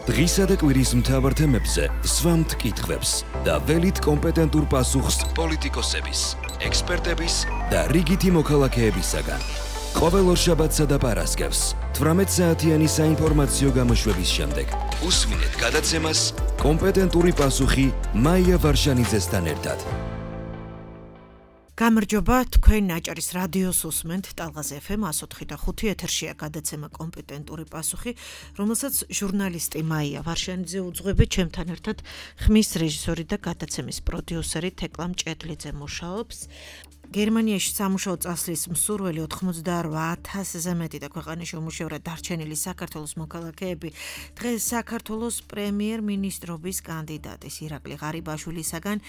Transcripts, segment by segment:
დღისა და კვირის მთავარ თემებზე სვამთ კითხვებს და ველით კომპეტენტურ პასუხს პოლიტიკოსების, ექსპერტების და რიგითი მოქალაქეებისაგან. ყოველ ორშაბათსა და პარასკევს 18 საათიანი საინფორმაციო გამოშვების შემდეგ უსმინეთ გადაცემას კომპეტენტური პასუხი მაია ვარშანიძესთან ერთად. გამარჯობა, თქვენ ნაჭარის რადიოს უსმენთ ტალღაზე FM 104.5 ეთერშია გადაცემა კომპეტენტური პასუხი, რომელსაც ჟურნალისტი მაია ვარშანიძე უძღვები, ჩემთან ერთად ხმის რეჟისორი და გადაცემის პროდიუსერი თეკლა მჭედლიძე მუშაობს. გერმანიაში სამუშაო წასვლის მსურველი 88,000-ზე მეტი და ქვეყანაში უმუშევრად დარჩენილი საქართველოს მოქალაქეები დღეს საქართველოს პრემიერ-მინისტრობის კანდიდატის ირაკლი ღარიბაშვილისაგან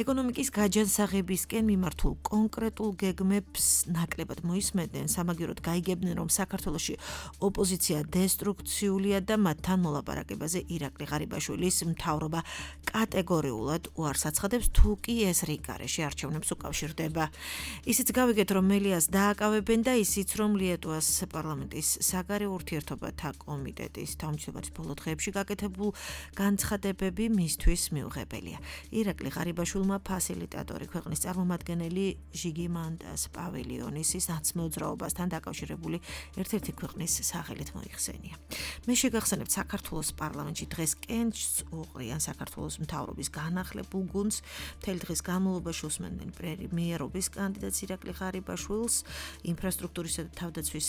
ეკონომიკის გაჯანსაღებისკენ მიმართულ კონკრეტულ გეგმებს ნაკლებად მოისმენდნენ, სამაგიეროდ გაიგებდნენ, რომ საქართველოში ოპოზიცია დესტრუქციულია და მათთან მოლაპარაკებაზე ირაკლი ღარიბაშვილის მთავრობა კატეგორიულად უარს აცხადებს, თუ კი ეს რიგ გარეშე არჩევნებს უკავშირდება. ისიც გავიგეთ, რომ მელიას დააკავებენ და ისიც, რომ ლიეტუვას პარლამენტის საგარეო ურთიერთობათა კომიტეტის თავმჯდომარის ბოლო დღეებში გაკეთებულ განცხადებები მისთვის მიუღებელია. ირაკლი ღარიბაშვილმა ფასილიტატორი ქვეყნის წარმომადგენელი ჟიგიმანდას პავილიონის ნაცმოძრაობასთან დაკავშირებული ერთ-ერთი ქვეყნის სახელით მოიხსენია. მე შეგახსენებთ, საქართველოს პარლამენტში დღეს კენჭს უყრიან საქართველოს მთავრობის განახლებულ გუნდს, მთელი დღის განმავლობაში უსმენდნენ პრემიერობის კანდიდატს ირაკლი ღარიბაშვილს, ინფრასტრუქტურისა და თავდაცვის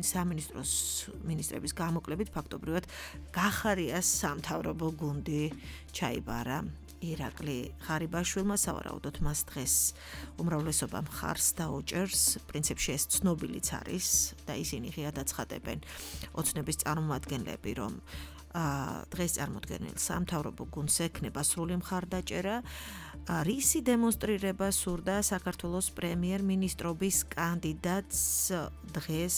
სამინისტროს მინისტრების გამოკლებით ფაქტობრივად გახარიას სამთავრობო გუნდი ჩაიბარა ირაკლი ღარიბაშვილმა, სავარაუდოდ მას დღეს უმრავლესობა მხარს დაუჭერს, პრინციპში ეს ცნობილიც არის და ისინი ღიად აცხადებენ ოცნების წარმომადგენლები, რომ დღეს წარმოდგენილ სამთავრობო გუნდს ექნება სრული მხარდაჭერა, რისი დემონსტრირება სურდა საქართველოს პრემიერ-მინისტრობის კანდიდატს დღეს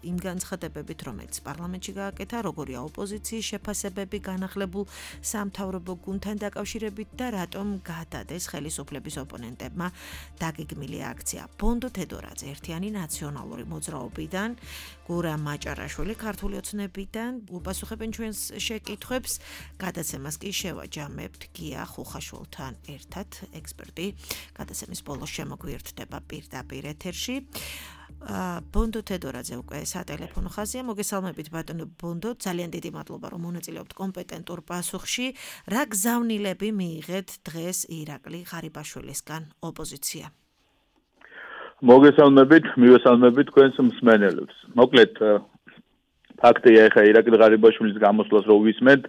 იმ განცხადებებით, რომელიც პარლამენტში გააკეთა, როგორია ოპოზიციის შეფასებები განახლებულ სამთავრობო გუნდთან დაკავშირებით და რატომ გადადეს ხელისუფლების ოპონენტებმა დაგეგმილი აქცია. ბონდო თედორაძე ერთიანი ნაციონალური მოძრაობიდან, გურა მაჭარაშვილი ქართული ოცნებიდან უპასუხებენ ჩვენს შეკითხვებს. გადაცემას კი შევაჯამებთ გია ხუხაშვილთან ერთად, ექსპერტი გადაცემის ბოლოს შემოგვიერთდება პირდაპირ ეთერში. ბონდო თედორაძე უკვე სატელეფონო ხაზია. მოგესალმებით ბატონო ბონდო, ძალიან დიდი მადლობა, რომ მონაწილეობთ კომპეტენტურ პასუხში. რა გზავნილები მიიღეთ დღეს ირაკლი ღარიბაშვილისგან ოპოზიცია? მოგესალმებით, მივესალმებით თქვენს მსმენელებს. მოკლედ ფაქტია, ეხა ირაკლი ღარიბაშვილის გამოსვლას რო ვისმენთ,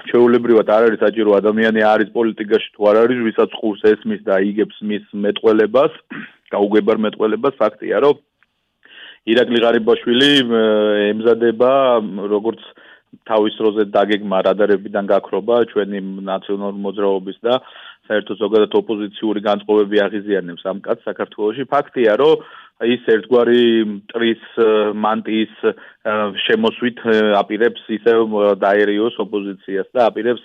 ჩვეულებრივად არ არის საჭირო ადამიანი არის პოლიტიკაში თუ არ არის, ვისაც ყურს ესმის და იგებს მის მეტყველებას, გაუგებარ მეტყველებას. ფაქტია, რომ ირაკლი ღარიბაშვილი ემზადება როგორც თავის დროზე დაგეგმა რადარებიდან გაქრობა ჩვენი ნაციონალური მოძრაობის და საერთოდ ზოგადად ოპოზიციური განწყობები აღიზიანებს ამ კაცს საქართველოში. ფაქტია, რომ ის ერთგვარი მტრის მანტიის შემოსვით აპირებს ისევ დაერიოს ოპოზიციას და აპირებს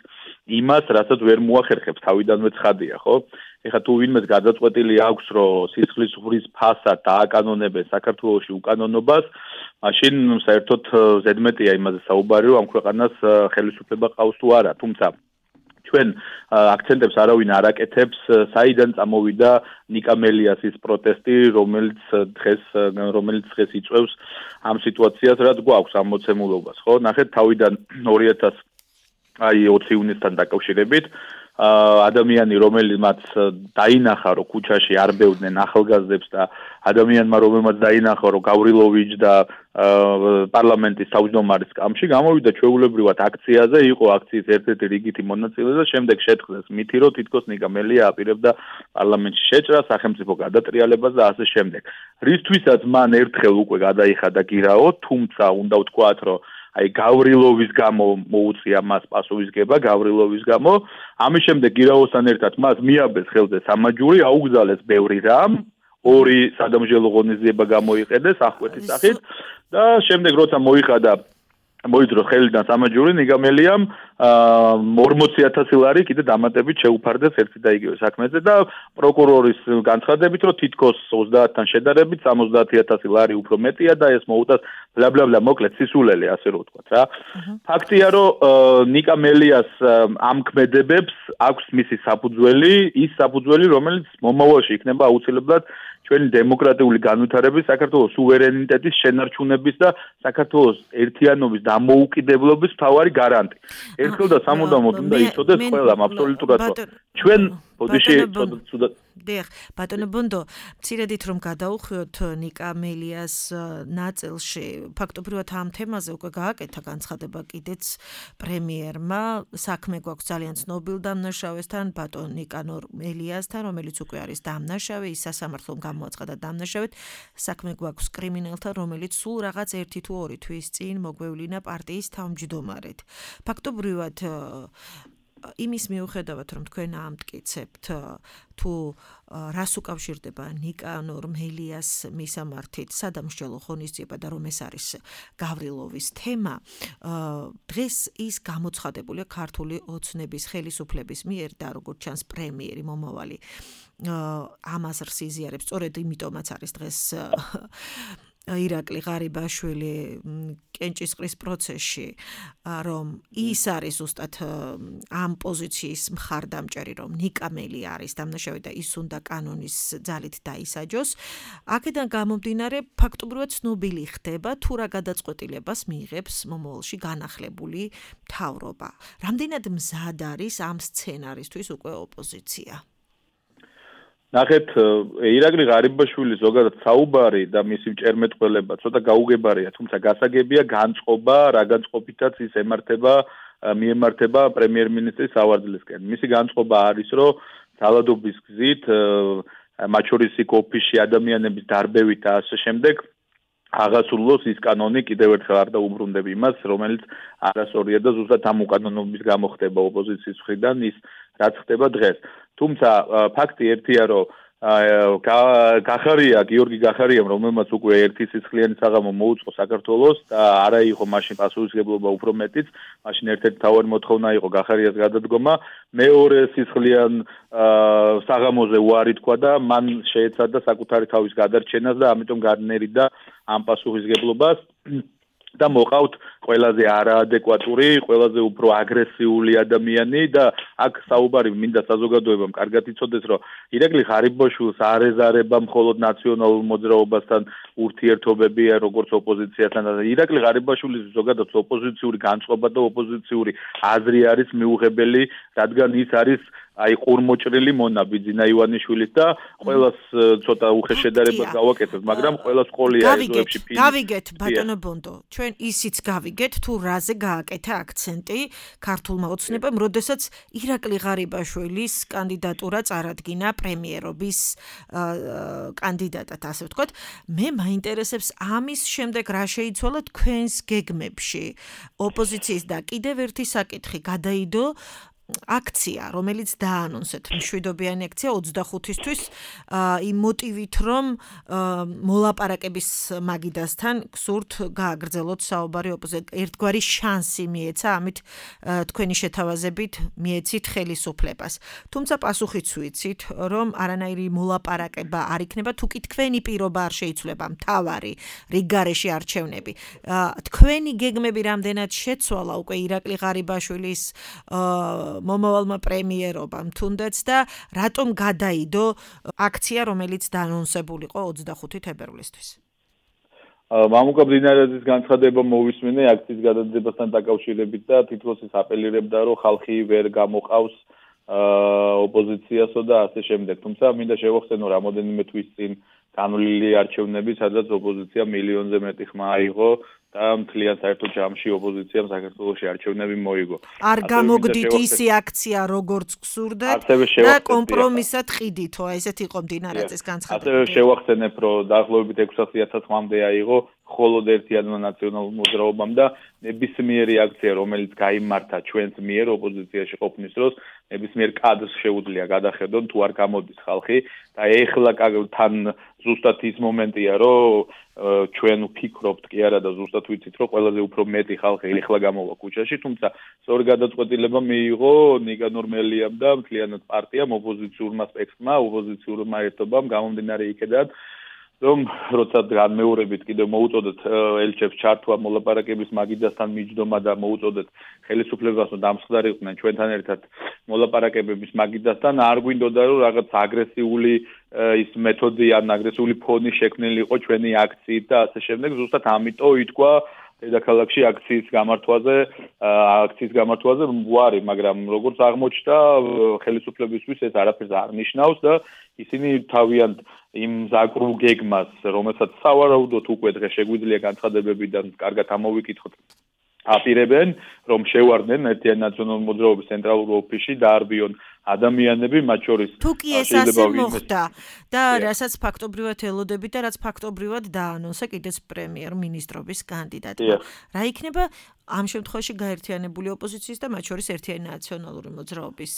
იმას, რასაც ვერ მოახერხებს თავიდანვე ცხადია, ხო? ეხლა თუ ვინმეს გადაწყვეტილი აქვს, რომ სისხლის ღურის ფასად დააკანონებენ საქართველოში უკანონობას, მაშინ საერთოდ ზედმეტია იმაზე საუბარი, რომ ამ ქვეყანას ხელისუფლება ყავს თუ არა, თუმცა ჩვენ აქცენტებს არავინ არ აკეთებს, საიდან წამოვიდა ნიკა მელიასის პროტესტი, რომელიც დღეს იწვევს ამ სიტუაციას, რაც გვაქვს ამ მოცემულობას, ხო? ნახეთ, თავიდან 2020 ივნისთან დაკავშირებით ადამიანი, რომელმაც დაინახა, რომ ქუჩაში არ ბევდნენ ახალგაზრდებს და ადამიანმა, რომელმაც დაინახა, რომ გავრილოვიჩ და პარლამენტის თავმჯდომარის სკამში გამოვიდა ჩვეულებრივად აქციაზე, იყო აქციის ერთ-ერთი რიგითი მონაწილე და შემდეგ შეთხზეს მითი, რომ თითქოს ნიკა მელია აპირებდა პარლამენტში შეჭრას, სახელმწიფო გადატრიალებას და ასე შემდეგ. რისთვისაც მან ერთხელ უკვე გადაიხადა გირაო, თუმცა უნდა ვთქვათ, რომ აი გავრილოვის გამო მოუწია მას პასუხისგება გავრილოვის გამო. ამის შემდეგ გირაოსთან ერთად მას მიაბეს ხელზე სამაჯური, აუგზალეს ბევრი რამ, ორი სადამჟელო ღონისძიება გამოიყენეს ახკვეთის სახით და შემდეგ როცა მოიხადა მოიძრო ხელიდან სამაჯური ნიგამელიამ 40,000 ლარი კიდე დამატებით შეუფარდეს ერთი და იგივე საქმეზე და პროკურორის განცხადებით, რომ თითქოს 30-თან შედარებით 70,000 ლარი უფრო მეტია და ეს მოუწევს ბლა მოკლედ სისულელი ასე რომ ვთქვათ რა. ფაქტია რომ ნიკა მელიას ამ ქმედებებს აქვს მისი საფუძველი, ის საფუძველი რომელიც მომავალში იქნება აუცილებლად ჩვენი დემოკრატიული განვითარების, საქართველოს სუვერენიტეტის შენარჩუნების და საქართველოს ერთიანობის დამოუკიდებლობის მთავარი გარანტი. ერთხელ და სამუდამოდ უნდა იცოდეს ყველამ აბსოლუტურად ჩვენ ბატონო ბონდო, მცირედით რომ გადაუხვიოთ ნიკა მელიას ნაწილში, ფაქტობრივად ამ თემაზე უკვე გააკეთა განცხადება კიდეც პრემიერმა, საქმე გვაქვს ძალიან ცნობილ დამნაშავესთან, ბატონ ნიკანორ მელიასთან, რომელიც უკვე არის დამნაშავე, ის სასამართლომ გამოაცხადა დამნაშავედ, საქმე გვაქვს კრიმინალთან, რომელიც სულ რაღაც 1 თუ 2 თვის წინ მოგვევლინა პარტიის თავმჯდომარედ. ფაქტობრივად იმის მიუხედავად რომ თქვენ ამტკიცებთ თუ რას უკავშირდება ნიკანორ მელიას მისამართით სადამსჯელო ღონისძიება და რომ ეს არის გავრილოვის თემა დღეს ის გამოცხადებულია ქართული ოცნების ხელისუფლების მიერ და როგორც ჩანს პრემიერი მომავალი ამას რსიზიარებს სწორედ იმიტომაც არის დღეს ირაკლი ღარიბაშვილი კენჭისყრის პროცესში რომ ის არის ზუსტად ამ პოზიციის მხარდამჭერი რომ ნიკა მელი არის დამნაშავე და ის უნდა კანონის ძალით დაისაჯოს აქედან გამომდინარე ფაქტობრივად ცნობილი ხდება თუ რა გადაწყვეტილებას მიიღებს მომავალში განახლებული მთავრობა რამდენად მზად არის ამ სცენარისთვის უკვე ოპოზიცია ნახეთ ირაკლი ღარიბაშვილი ზოგადად საუბარი და მისი მჭერმეტყველება ცოტა გაუგებარია თუმცა გასაგებია განწყობა რა განწყობითაც ის მიემართება პრემიერ-მინისტრის ავარძლისკენ მისი განწყობა არის რომ ძალადობის გზით მათ შორის იქ ოფისში ადამიანების დარბევით და ასე შემდეგ აღასრულოს ის კანონი კიდევ ერთხელ არ დაუბრუნდები იმას რომელიც არასწორია და ზუსტად ამ უკანონობის გამო ხდება ოპოზიციის მხრიდან ის რაც ხდება დღეს თუმცა ფაქტი ერთია რომ გიორგი გახარიამ რომელმაც უკვე ერთი სისხლიანი საღამო მოუწყო საქართველოს და არა იყო მაშინ პასუხისმგებლობა უფრო მეტიც მაშინ ერთ-ერთი თავარი მოთხოვნა იყო გახარიას გადადგომა მეორე სისხლიან საღამოზე უარი თქვა და მან შეეცადა საკუთარი თავის გადარჩენას და ამიტომ განერიდა ამ პასუხისმგებლობას და მოყავთ ყველაზე არაადეკვატური, ყველაზე უფრო აგრესიული ადამიანი და აქ საუბარი მინდა საზოგადოებამ კარგად იცოდეს, რომ ირაკლი ღარიბაშვილს არ ეზარება მხოლოდ ნაციონალურ მოძრაობასთან ურთიერთობებია, როგორც ოპოზიციასთან. ირაკლი ღარიბაშვილის ზოგადად ოპოზიციური განწყობა და ოპოზიციური აზრი არის მიუღებელი, რადგან ის არის აი ყურმოჭრილი მონა ბიძინა ივანიშვილის და ყველას ცოტა უხეშ შედარებას გავაკეთებ, მაგრამ ყველას ყოლია ეზოებში ფილმი. გავიგეთ ბატონო ბონდო, ჩვენ ისიც გავიგეთ თუ რაზე გააკეთა აქცენტი ქართულმა ოცნებამ, როდესაც ირაკლი ღარიბაშვილის კანდიდატურა წარადგინა პრემიერობის კანდიდატად, ასე ვთქვათ. მე მაინტერესებს ამის შემდეგ რა შეიცვალა თქვენს გეგმებში ოპოზიციის და კიდევ ერთი საკითხი გადაიდო აქცია, რომელიც დაანონსეთ მშვიდობიანი აქცია 25-ისთვის იმ მოტივით, რომ მოლაპარაკების მაგიდასთან გსურთ გააგრძელოთ საუბარი ოპოზიციას. ერთგვარი შანსი მიეცა, ამით თქვენი შეთავაზებით მიეცით ხელისუფლებას. თუმცა პასუხიც ვიცით, რომ არანაირი მოლაპარაკება არ იქნება, თუ კი თქვენი პირობა არ შეიცვლება მთავარი რიგგარეში არჩევნები. თქვენი გეგმები რამდენად შეცვალა უკვე ირაკლი ღარიბაშვილის მომავალმა პრემიერობამ თუნდაც და რატომ გადაიდო აქცია რომელიც დაანონსებულიყო 25 თებერვლისთვის მამუკა ბდინარაძის განცხადება მოვისმინე აქციის გადადებასთან დაკავშირებით და თითქოს ის აპელირებდა რომ ხალხი ვერ გამოყავს ოპოზიციასო და ასე შემდეგ თუმცა მინდა შევახსენო რამოდენიმე თვის წინ განვლილი არჩევნები სადაც ოპოზიცია მილიონზე მეტი ხმა აიღო და მთლიან საერთო ჯამში ოპოზიციამ საქართველოში არჩევნები მოიგო. არ გამოგდით ისი აქცია როგორც გსურდათ და კომპრომისად ყიდითო, ესეთ იყო მდინარაძის განცხადება. ასევე შევახსენებ, რომ დაახლოებით 600,000 ხმამდე აიღო მხოლოდ ერთიანმა ნაციონალურ მოძრაობამ და ნებისმიერი აქცია, რომელიც გაიმართა ჩვენს მიერ ოპოზიციაში ყოფნის დროს, ნებისმიერ კადრს შეუძლია გადახედონ თუ არ გამოდის ხალხი და ეხლა თან ზუსტად ის მომენტია, რომ ჩვენ ვფიქრობთ კი არა და ზუსტად ვიცით, რომ ყველაზე უფრო მეტი ხალხი ეხლა გამოვა ქუჩაში, თუმცა სწორი გადაწყვეტილება მიიღო ნიკანორ მელიამ და მთლიანად პარტიამ ოპოზიციურმა სპექტრმა, ოპოზიციურმა ერთობამ გამომდინარე იქედან რომ როცა განმეორებით კიდევ მოუწოდეთ ელჩებს ჩართვა მოლაპარაკების მაგიდასთან მიჯდომა და მოუწოდეთ ხელისუფლებას რომ დამსხდარიყვნენ ჩვენთან ერთად მოლაპარაკებების მაგიდასთან არ გვინდოდა რომ რაღაც აგრესიული ის მეთოდი ან აგრესიული ფონი შექმნილიყო ჩვენი აქციით და ასე შემდეგ ზუსტად ამიტომ ითქვა დედაქალაქში აქციის გამართვაზე ვარი, მაგრამ როგორც აღმოჩნდა ხელისუფლებისთვის ეს არაფერს არ ნიშნავს და ისინი თავიანთ იმ ზაკრულ გეგმას, რომელსაც სავარაუდოდ უკვე დღეს შეგვიძლია განცხადებებიდან კარგად ამოვიკითხოთ, აპირებენ, რომ შევარდნენ ერთიანი ნაციონალური მოძრაობის ცენტრალურ ოფისში დაარბიონ ადამიანები, მათ შორის თუ კი ეს ასე მოხდა და რასაც ფაქტობრივად ელოდები და რაც ფაქტობრივად დაანონსა კიდეც პრემიერ-მინისტრობის კანდიდატმა. რა იქნება ამ შემთხვევაში გაერთიანებული ოპოზიციის და მათ შორის ერთიანი ნაციონალური მოძრაობის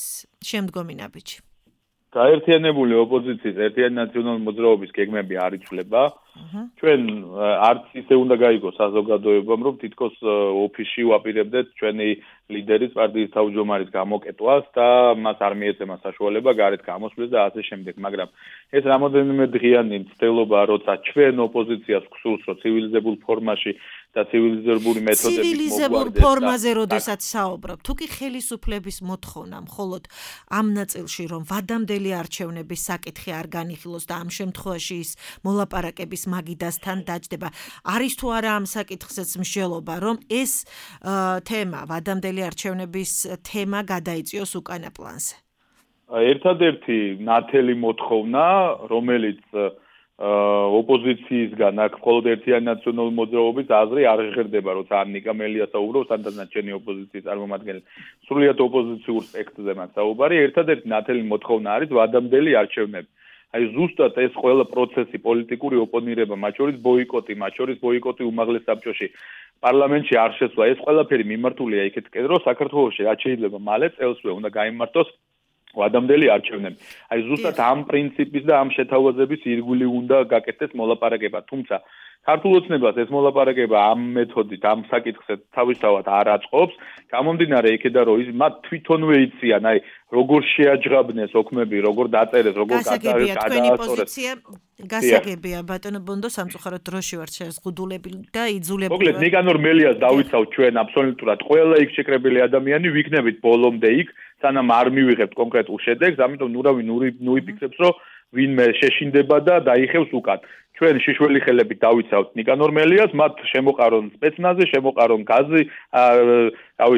შემდგომი ნაბიჯი? გაერთიანებული ოპოზიციის ერთიანი ნაციონალური მოძრაობის გეგმები არ იცვლება. ჩვენ არც ისე უნდა გაიგოს საზოგადოებამ, რომ თითქოს ოფისში ვაპირებდეთ ჩვენი ლიდერის პარტიის თავმჯდომარის გამოკეტვას და მას არ მიეცემა საშუალება გარეთ გამოსვლის და ასე შემდეგ, მაგრამ ეს რამოდენიმე დღიანი მცდელობა, როცა ჩვენ ოპოზიციას გვსურს, რომ ცივილიზებულ ფორმაში და ცივილიზებული მეთოდებით ცივილიზებულ ფორმაზე როდესაც საუბრობ, თუ კი ხელისუფლების მოთხოვნა მხოლოდ ამ ნაწილში, რომ ვადამდელი არჩევნების საკითხი არ განიხილოს და ამ შემთხვევაში ის მოლაპარაკების მაგიდასთან დაჯდება. არის თუ არა ამ საკითხზეც მსჯელობა, რომ ეს თემა, ვადამდელი არჩევნების თემა გადაიწიოს უკანა პლანზე? ერთადერთი ნათელი მოთხოვნა, რომელიც ოპოზიციისგან აქ მხოლოდ ერთიანი ნაციონალური მოძრაობის აზრი არ ღირდება, როცა ანიკა მელია საუბრობს, სანდანაც ჩვენი ოპოზიციის წარმომადგენელი სრულიად ოპოზიციურ სპექტრზე მაქვს საუბარი, ერთადერთი ნათელი მოთხოვნა არის ვადამდელი არჩევნები. აი ზუსტად ეს ყველა პროცესი, პოლიტიკური ოპონირება, მათ შორის ბოიკოტი უმაღლეს საბჭოში, პარლამენტში არ შესვლა, ეს ყველაფერი მიმართულია იქეთკენ, რომ საქართველოში რაც შეიძლება მალე წელსვე უნდა გაიმართოს ვადამდელი არჩევნები. აი ზუსტად ამ პრინციპის და ამ შეთავაზების ირგვლივ უნდა გაკეთდეს მოლაპარაკება, თუმცა ქართულ ოცნებას ეს მოლაპარაკება ამ მეთოდით, ამ საკითხზე თავისთავად არ აწყობს, გამომდინარე იქედან, რომ ის მათ თვითონვე იციან, აი როგორ შეაჯღაბნეს ოქმები, როგორ დაწერეს, როგორ გადაასწორეს. გასაგებია, ბატონო ბონდო, სამწუხაროდ დროში ვართ შეზღუდულები და იძულებული. მოკლედ, ნიკანორ მელიას დავიცავთ ჩვენ აბსოლუტურად ყველა იქ შეკრებილი ადამიანი, ვიქნებით ბოლომდე იქ, სანამ არ მივიღებთ კონკრეტულ შედეგს, ამიტომ ნუ იფიქრებს, რომ ვინმე შეშინდება და დაიხევს უკან. ჩვენ შიშველი ხელებით დავიცავთ ნიკანორ მელიას, მათ შემოყარონ სპეცნაზი, შემოყარონ გაზი,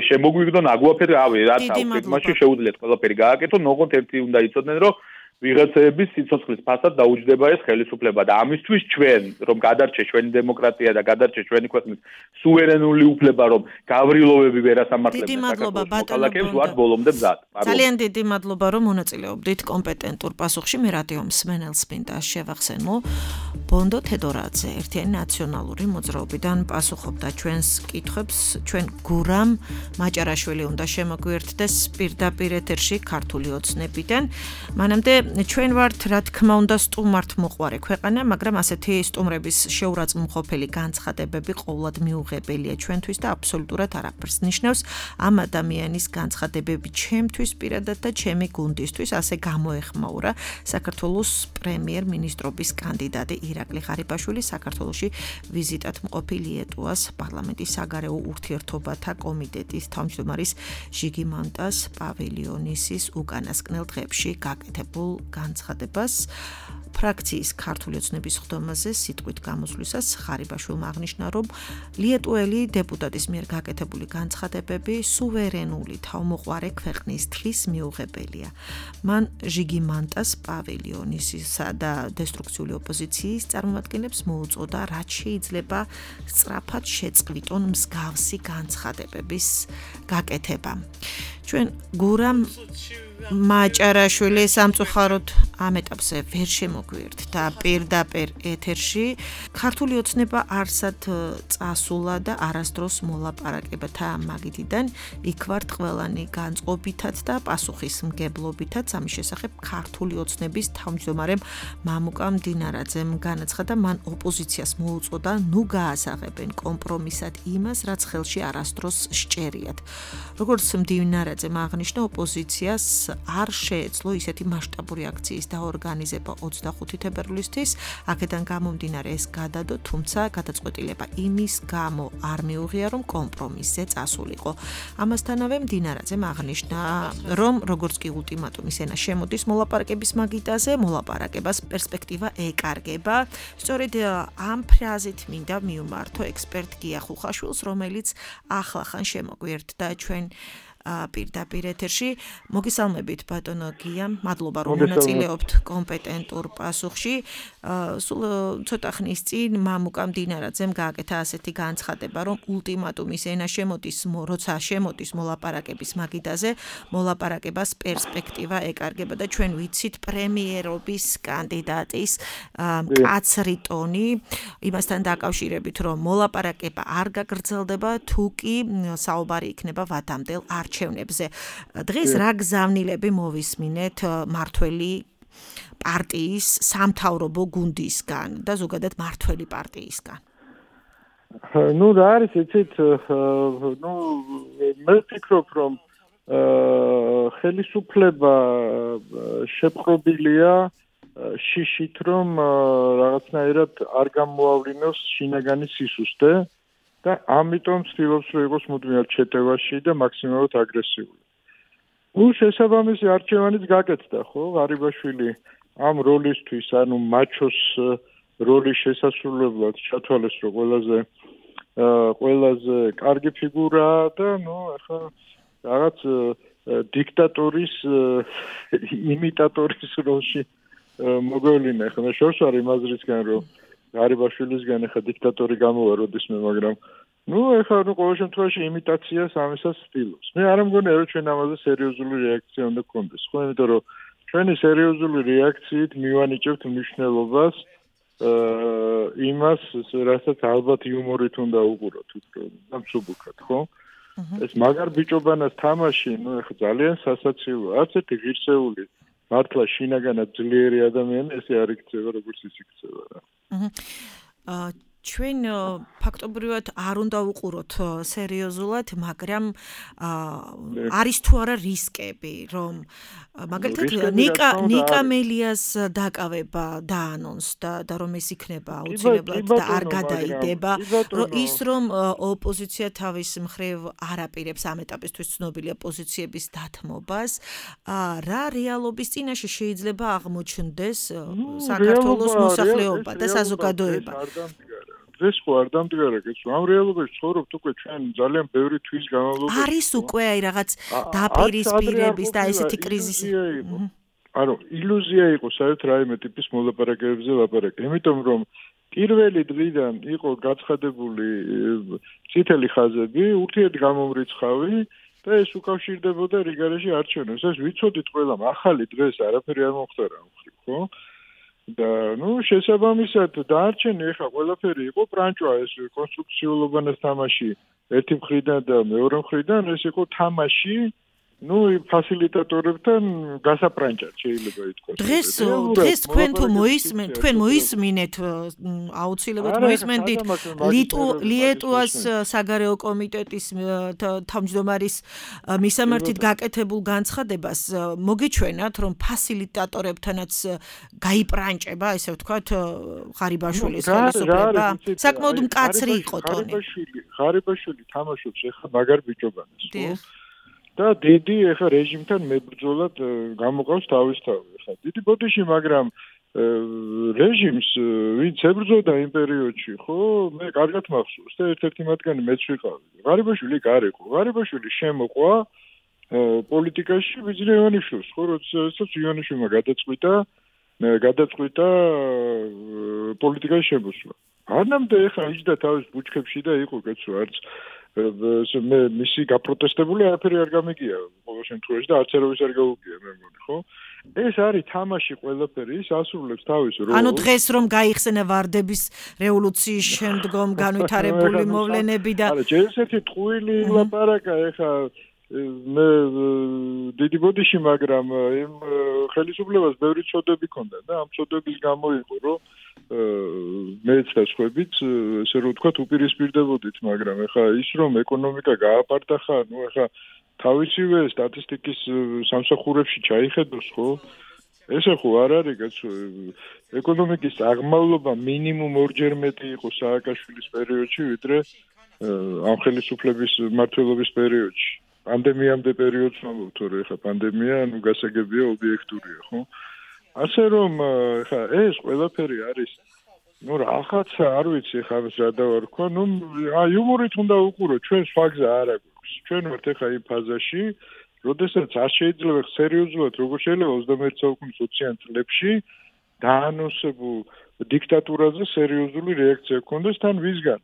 შემოგვიგდონ აგვაფერი, რაც აგვიგმაში შეუძლიათ ყველაფერი გააკეთონ, ოღონდ ერთი უნდა იცოდნენ, რომ ვიღაცების სიცოცხლის ფასად დაუჯდება ეს ხელისუფლება და ამისთვის ჩვენ, რომ გადარჩეს ჩვენი დემოკრატია და გადარჩეს ჩვენი ქვეყნის სუვერენული უფლება, რომ გავრილოვები ვერ ასამართლებენ საქართველოს მოქალაქეებს, ვართ ბოლომდე მზად. ძალიან დიდი მადლობა, რომ მონაწილეობდით კომპეტენტურ პასუხში. მე რადიო მსმენელს მინდა შევახსენო, ბონდო თედორაძე, ერთიანი ნაციონალური მოძრაობიდან პასუხობდა ჩვენს კითხვებს, ჩვენ გურამ მაჭარაშვილი უნდა შემოგვიერთდეს პირდაპირ ეთერში ქართული ოცნებიდან. მანამდე ჩვენ ვართ, რა თქმა უნდა, სტუმართ მოყვარე ქვეყანა, მაგრამ ასეთი სტუმრების შეურაცხმყოფელი განცხადებები ყოვლად მიუღებელია ჩვენთვის და აბსოლუტურად არაფერს ნიშნავს. ამ ადამიანის განცხადებები ჩემთვის პირადად და ჩემი გუნდისთვის ასე გამოეხმაურა საქართველოს პრემიერ-მინისტრობის კანდიდატი ირაკლი ღარიბაშვილი საქართველოში ვიზიტად მყოფი ლიეტუვას პარლამენტის საგარეო ურთიერთობათა კომიტეტის თავმჯდომარის ჟიგი მანტას პავილიონისის უკანასკნელ დღეებში გაკეთებულ განცხადებას ფრაქციის ქართული ოცნების ხდომაზე სიტყვით გამოსვლისას ღარიბაშვილმა აღნიშნა, რომ ლიეტუელი დეპუტატის მიერ გაკეთებული განცხადებები სუვერენული თავმოყარე ქვეყნის თხის მიუღებელია. მან ჟიგი მანტას პავილიონისისა და დესტრუქციული ოპოზიციის წარმომადგენლებს მოუწოდა, რაც შეიძლება სწრაფად შეწყვიტონ მსგავსი განცხადებების გაკეთება. ჩვენ გურამ მაჭარაშვილი სამწუხაროდ ამ ეტაპზე ვერ შემოგვიერთ და პირდაპირ ეთერში ქართული ოცნება არსად წასულა და არასდროს მოლაპარაკებათა მაგიდიდან იქ ვართ ყველანი განწყობითად და პასუხისმგებლობითაც ამის შესახებ ქართული ოცნების თავმჯდომარემ მამუკა მდინარაძემ განაცხადა, მან ოპოზიციას მოუწოდა ნუ გაასაღებენ კომპრომისად იმას, რაც ხელში არასდროს სჭერიათ. როგორც მდინარაძემ აღნიშნა, ოპოზიციას არ შეეძლო ისეთი მასშტაბური აქციის კონფერენციის დაორგანიზება 25 თებერვლისთვის. აქედან გამომდინარე ეს გადადო, თუმცა გადაწყვეტილება იმის გამო არ მიუღია, რომ კომპრომისზე წასულიყო. ამასთანავე მდინარაძემ აღნიშნა, რომ როგორც კი ულტიმატუმის ენა შემოდის მოლაპარაკების მაგიდაზე, მოლაპარაკებას პერსპექტივა ეკარგება. სწორედ ამ ფრაზით მინდა მიუმართო ექსპერტ გია ხუხაშვილს, რომელიც ახლახან შემოგვიერთდა ჩვენ პირდაპირ ეთერში. მოგესალმებით ბატონო გია, მადლობა რომ მონაწილეობთ კომპეტენტურ პასუხში. სულ ცოტა ხნის წინ მამუკა მდინარაძემ გააკეთა ასეთი განცხადება, რომ ულტიმატუმის ენა შემოდის, როცა შემოდის მოლაპარაკების მაგიდაზე, მოლაპარაკებას პერსპექტივა ეკარგება და ჩვენ ვიცით პრემიერობის კანდიდატის მკაცრი ტონი იმასთან დაკავშირებით, რომ მოლაპარაკება არ გაგრძელდება, თუ კი საუბარი იქნება ვადამდელ არჩევნებზე. დღეს რა გზავნილები მოვისმინეთ მართველი პარტიის სამთავრობო გუნდისგან და ზოგადად მართველი პარტიისგან? რა არის იცით, მე ვფიქრობ, რომ ხელისუფლება შეპყრობილია შიშით, რომ რაღაცნაირად არ გამოავლინოს შინაგანი სისუსტე და ამიტომ ცდილობს, რომ იყოს მუდმივად შეტევაში და მაქსიმალურად აგრესიული. შესაბამისი არჩევანიც გაკეთდა, ხო? ღარიბაშვილი ამ როლისთვის, ანუ მაჩოს როლის შესასრულებლად ჩათვალეს, რომ ყველაზე კარგი ფიგურაა და ახლა რაღაც დიქტატორის იმიტატორის როლში მოგვევლინა. ახლა შორს არ იმაზრისგან, რომ ღარიბაშვილისგან ახლა დიქტატორი გამოვა როდისმე, მაგრამ ახლა ყოველ შემთხვევაში იმიტაციას ამისას ცდილობს. მე არ მგონია, რომ ჩვენ ამაზე სერიოზული რეაქცია უნდა გქონდეს, ხო? იმიტომ რომ ჩვენი სერიოზული რეაქციით მივანიჭებთ მნიშვნელობას იმას, რასაც ალბათ იუმორით უნდა უყუროთ, და მსუბუქად, ხო? ეს მაგარ ბიჭობანას თამაში, ახლა ძალიან სასაცილოა. არც ერთი ღირსეული მართლა შინაგანად ძლიერი ადამიანი ესე არ იქცევა, როგორც ის იქცევა რა. ჩვენ ფაქტობრივად არ უნდა უყუროთ სერიოზულად, მაგრამ არის თუ არა რისკები, რომ მაგალითად ნიკა მელიას დაკავება დაანონსდა და რომ ეს იქნება აუცილებლად და არ გადაიდება, ის რომ ოპოზიცია თავის მხრივ არ აპირებს ამ ეტაპისთვის ცნობილია პოზიციების დათმობას, რა რეალობის წინაშე შეიძლება აღმოჩნდეს საქართველოს მოსახლეობა და საზოგადოება? დღეს ხო არ დამდგარა, კეთო. ამ რეალობაში ცხოვრობთ უკვე ჩვენ ძალიან ბევრი თვის განმავლობაში. არის უკვე რაღაც დაპირისპირების და ესეთი კრიზისი. ანუ ილუზია იყო საერთოდ რაიმე ტიპის მოლაპარაკებებზე ლაპარაკი. იმიტომ რომ პირველი დღიდან იყო გაცხადებული წითელი ხაზები, ურთიერთგამომრიცხავი და ეს უკავშირდებოდა რიგარეში არჩევნებს. ეს ვიცოდით ყველამ, ახალი დღეს არაფერი არ მომხდარა მხრივ, ხო? და შესაბამისად დაარჩენი ახლა ყველაფერი იყო ბრანჭვა, ეს კონსტრუქციულობანას თამაში ერთი მხრიდან და მეორე მხრიდან ეს იყო თამაში ფასილიტატორებთან გასაბრანჭად შეიძლება ითქვას. დღეს თქვენ თუ მოისმინეთ აუცილებლად მოისმენდით ლიეტუვას საგარეო კომიტეტის თავმჯდომარის მისამართით გაკეთებულ განცხადებას, მოგიჩვენათ, რომ ფასილიტატორებთანაც გაიბრანჭება, ესე ვთქვათ, ღარიბაშვილის ხელისუფლება. საკმაოდ მკაცრი იყო ტონი. ღარიბაშვილი თამაშობს ახლა მაგარ ბიჭობანას, ხო? და დიდი ახლა რეჟიმთან მებრძოლად გამოყავს თავისთავად. ახლა დიდი ბოდიში, მაგრამ რეჟიმს ვინც ებრძოდა იმ პერიოდში, ხო, მე კარგად მახსოვს და ერთ-ერთი მათგანი მეც ვიყავი. ღარიბაშვილი გარეკო. ღარიბაშვილი შემოყვა პოლიტიკაში ვიძინე ივანიშვილს, ხო, როდესაც ივანიშვილმა გადაწყვიტა პოლიტიკაში შემოსვლა. არნამდე ახლა იჯდა თავის ბუჩქებში და იყო კაცო, არც მე მისი გაპროტესტებული არაფერი არ გამიგია ყოველ შემთხვევაში და არც ერავის არ გაუგია მე მგონი, ხო? ეს არის თამაში ყველაფერი, ის ასრულებს თავის როლს. ანუ დღეს რომ გაიხსენა ვარდების რევოლუციის შემდგომ განვითარებული მოვლენები და ჯერ ესეთი ტყუილი ლაპარაკა ეხა მე დიდი ბოდიში, მაგრამ იმ ხელისუფლებას ბევრი წოდები ჰქონდა და ამ წოდების გამო იყო, რომ მეც და სხვაებიც ესე რომ ვთქვათ უპირისპირდებოდით, მაგრამ ეხა ის რომ ეკონომიკა გააპარტახა, ეხა თავისივე სტატისტიკის სამსახურებში ჩაიხედოს, ხო? ესე ხო არ არის კაცო ეკონომიკის აღმავლობა მინიმუმ 2-ჯერ მეტი იყო სააკაშვილის პერიოდში ვიდრე ამ ხელისუფლების მმართველობის პერიოდში პანდემიამდე პერიოდს ვამბობ თორე ხა პანდემია ნუ გასაგებია ობიექტურია ხო ასე რომ ხა ეს ყველაფერი არის ნუ რაღაცა არ ვიცი ხა ეს რა დავარქვა ნუ იუმორით უნდა უყურო ჩვენ სხვა გზა არ აქვს ჩვენ ვართ ხა იმ ფაზაში როდესაც არ შეიძლება სერიოზულად როგორ შეიძლება 21 საუკუნის 20-იან წლებში დაანონსებულ დიქტატურაზე სერიოზული რეაქცია გქონდეს თან ვისგან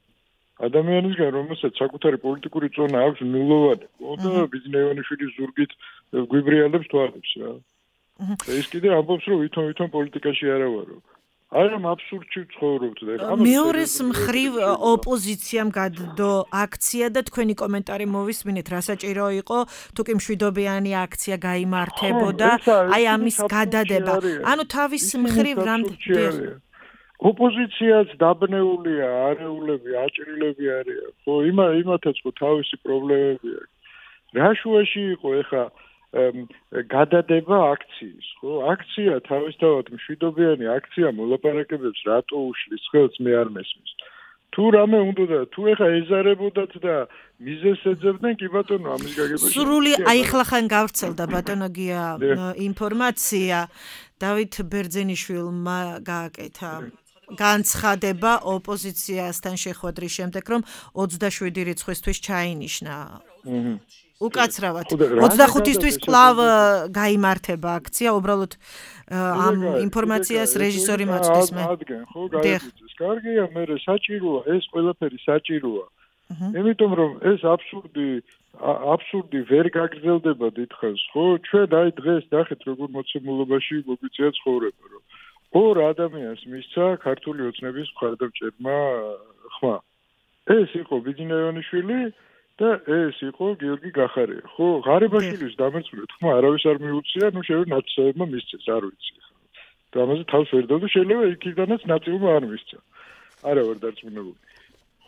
ადამიანისგან რომელსაც საკუთარი პოლიტიკური წონა აქვს ნულოვანი და ბიზნეევანიშვილის ზურგით გვიბრიალებს თვალებს რა ეს კიდე ამბობს რომ ვითომ პოლიტიკაში არა ვარო არამ აბსურდში ვცხოვრობთ და მეორეს მხრივ ოპოზიციამ გადდო აქცია და თქვენი კომენტარი მოვისმინეთ რა საჭირო იყო თუ კი მშვიდობიანი აქცია გაიმართებოდა აი ამის გადადება ანუ თავის მხრივ ოპოზიციაც დაბნეულია არეულები აჭრილები არიან ხო იმათაც ხო თავისი პრობლემები აქვს რა შუაში იყო ეხა გადადება აქციის ხო აქცია თავისთავად მშვიდობიანი აქცია მოლაპარაკებებს რატო უშლის ხელს მე არ მესმის თუ რამე უნდა თუ ეხა ეზარებოდათ და მიზეს ეძებდნენ კი ბატონო ამის გაგებაში სრული აიხლახან გავრცელდა ბატონო გია ინფორმაცია დავით ბერძენიშვილმა გააკეთა განცხადება ოპოზიციასთან შეხვედრის შემდეგ რომ 27 რიცხვისთვის ჩაინიშნა უკაცრავად 25-ისთვის კვლავ გაიმართება აქცია უბრალოდ ამ ინფორმაციას რეჟისორი მოწვდის მე ხო გაიგეთ კარგია მე საჭიროა ეს ყველაფერი საჭიროა იმიტომ რომ ეს აბსურდი ვერ გაგრძელდება დიდხანს ხო ჩვენ აი დღეს ნახეთ როგორ მოცემულობაში მოგვიწია ცხოვრება რომ ორ ადამიანს მისცა ქართული ოცნების მხარდამჭერმა ხმა ეს იყო ბიძინაევანიშვილი და ეს იყო გიორგი გახარია ხო ღარიბაშვილის დამერწმუნეთ ხმა არავის არ მიუწია ნუ შეიძლება ნაცნობმა მისცეს არ ვიცი და ამაზე თავს ვერ დავდო შეიძლება იქიდანაც ნაწილმა არ მისცა არა ვარ დარწმუნებული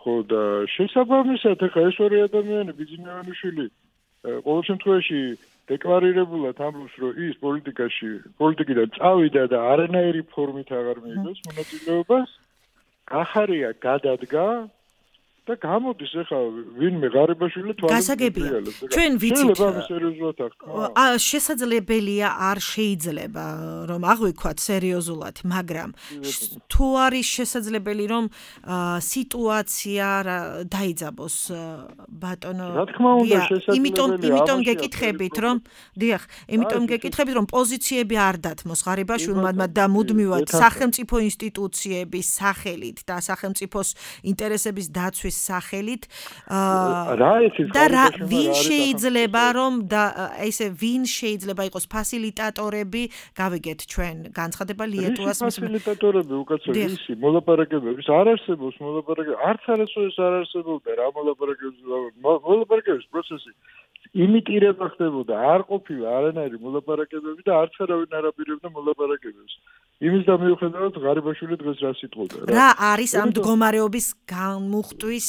ხო და შესაბამისად ახლა ეს ორი ადამიანი ბიძინაევანიშვილი ყოველ შემთხვევაში დეკლარირებულად ამბობს რომ ის პოლიტიკიდან წავიდა და არანაირი ფორმით აღარ მიიღოს მონაწილეობას გახარია გადადგა და გამოდის ახლა ვინმე ღარიბაშვილი გასაგებია ჩვენ ვიცით შესაძლებელია არ შეიძლება რომ აღვიქვათ სერიოზულად მაგრამ თუ არის შესაძლებელი რომ სიტუაცია დაიძაბოს ბატონო რა თქმა უნდა შესაძლებელია იმიტომ გეკითხებით რომ დიახ იმიტომ გეკითხებით რომ პოზიციები არ დათმოს ღარიბაშვილმა და მუდმივად სახელმწიფო ინსტიტუციების სახელით და სახელმწიფოს ინტერესების დაცვის სახელით და ვინ შეიძლება რომ და ესე ვინ შეიძლება იყოს ფასილიტატორები გავიგეთ ჩვენ განცხადება ლიეტუას ფასილიტატორები უკაცო ისი მოლაპარაკებების არ არსებობს მოლაპარაკება არც არასოდეს არ არსებობდა რა მოლაპარაკების პროცესი იმიტირება ხდებოდა არ ყოფილა არანაირი მოლაპარაკებები და არც არავინ არ აპირებდა მოლაპარაკებებს იმის და მიუხედავად ღარიბაშვილი დღეს რა სიტყოდა რა არის ამ მდგომარეობის განმუხტვის